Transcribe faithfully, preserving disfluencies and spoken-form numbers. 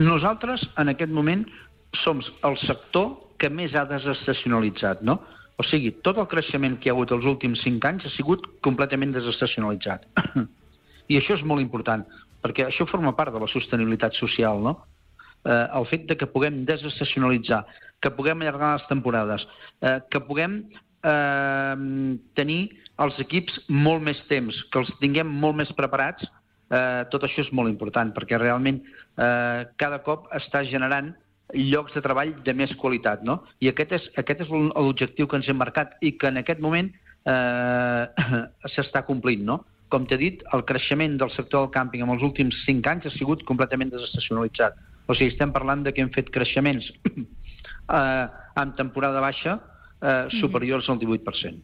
Nosaltres, en aquest moment, som el sector que més ha desestacionalitzat, no? O sigui, tot el creixement que hi ha hagut els últims cinc anys ha sigut completament desestacionalitzat. I això és molt important, perquè això forma part de la sostenibilitat social, no? Eh, el fet de que puguem desestacionalitzar, que puguem allargar les temporades, eh, que puguem eh, tenir els equips molt més temps, que els tinguem molt més preparats, eh, tot això és molt important, perquè realment eh, cada cop està generant llocs de treball de més qualitat, no? I aquest és, aquest és l'objectiu que ens hem marcat i que en aquest moment eh, s'està complint, no? Com t'he dit, el creixement del sector del càmping en els últims cinc anys ha sigut completament desestacionalitzat. O sigui, estem parlant de que hem fet creixements eh, en temporada baixa eh, superiors al divuit per cent.